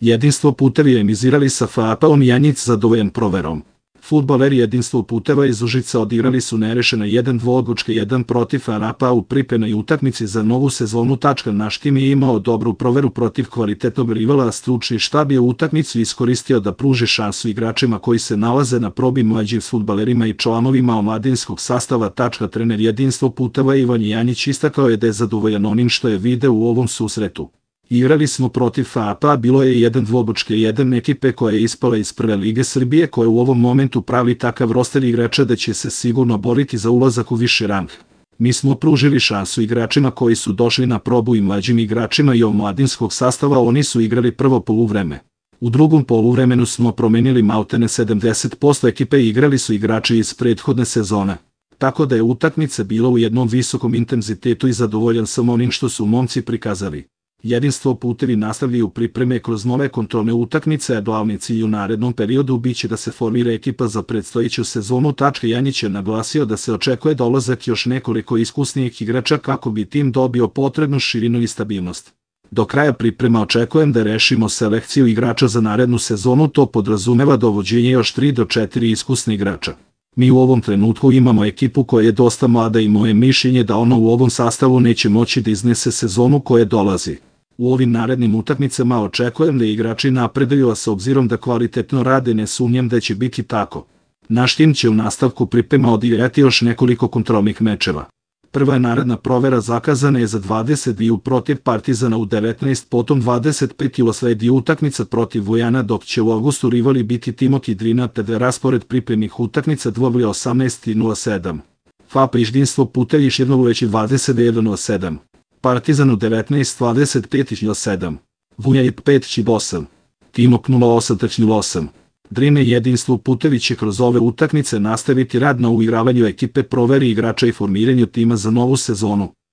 Jedinstvo putevi emizirali sa FAP-om Janjic zadovoljan proverom. Fudbaleri Jedinstvo puteva iz Užica odigrali su nerešeno 1 dvoodlučke 1 protiv FAP-a u pripremnoj utakmici za novu sezonu. Naš tim je imao dobru proveru protiv kvalitetnog rivala, a stručni štab je utakmicu iskoristio da pruži šansu igračima koji se nalaze na probi, mlađim fudbalerima i članovima omladinskog sastava. Trener Jedinstvo puteva Ivan Janjić istakao je da je zadovoljan onim što je video u ovom susretu. Igrali smo protiv FAP-a, bilo je 1 dvoodlučke 1 ekipe koja je ispala iz Prve lige Srbije, koja u ovom momentu pravi takav roster igrača da će se sigurno boriti za ulazak u viši rang. Mi smo pružili šansu igračima koji su došli na probu i mlađim igračima i omladinskog sastava, oni su igrali prvo poluvreme. U drugom poluvremenu smo promenili maltene 70% ekipe i igrali su igrači iz prethodne sezone. Tako da je utakmica bila u jednom visokom intenzitetu i zadovoljan sam onim što su momci prikazali. Jedinstvo putevi nastavljaju pripreme kroz nove kontrolne utakmice, a glavni cilj u narednom periodu biće da se formira ekipa za predstojeću sezonu. Janjić je naglasio da se očekuje dolazak još nekoliko iskusnijih igrača kako bi tim dobio potrebnu širinu i stabilnost. Do kraja priprema očekujem da rešimo selekciju igrača za narednu sezonu, to podrazumeva dovođenje još 3 do 4 iskusni igrača. Mi u ovom trenutku imamo ekipu koja je dosta mlada i moje mišljenje da ona u ovom sastavu neće moći da iznese sezonu koja dolazi. U ovim narednim utakmicama očekujem da igrači napreduju, a s obzirom da kvalitetno rade ne sumnjam da će biti tako. Naš tim će u nastavku priprema odigrati još nekoliko kontrolnih mečeva. Prva je naredna provera zakazana je za 22 protiv Partizana u 19, potom 25 sledi utakmica protiv Vojana, dok će u avgustu rivali biti Timok i Drina, te raspored pripremnih utakmica 18 i 07. FAP Jedinstvo putevi još jedno uveći 21-07. Partizan u 19, 25 i 07. Vuja i 5 i 8. Timok 08-08. Drine Jedinstvo putevi će kroz ove utakmice nastaviti rad na uigravanju ekipe, proveri igrača i formiranju tima za novu sezonu.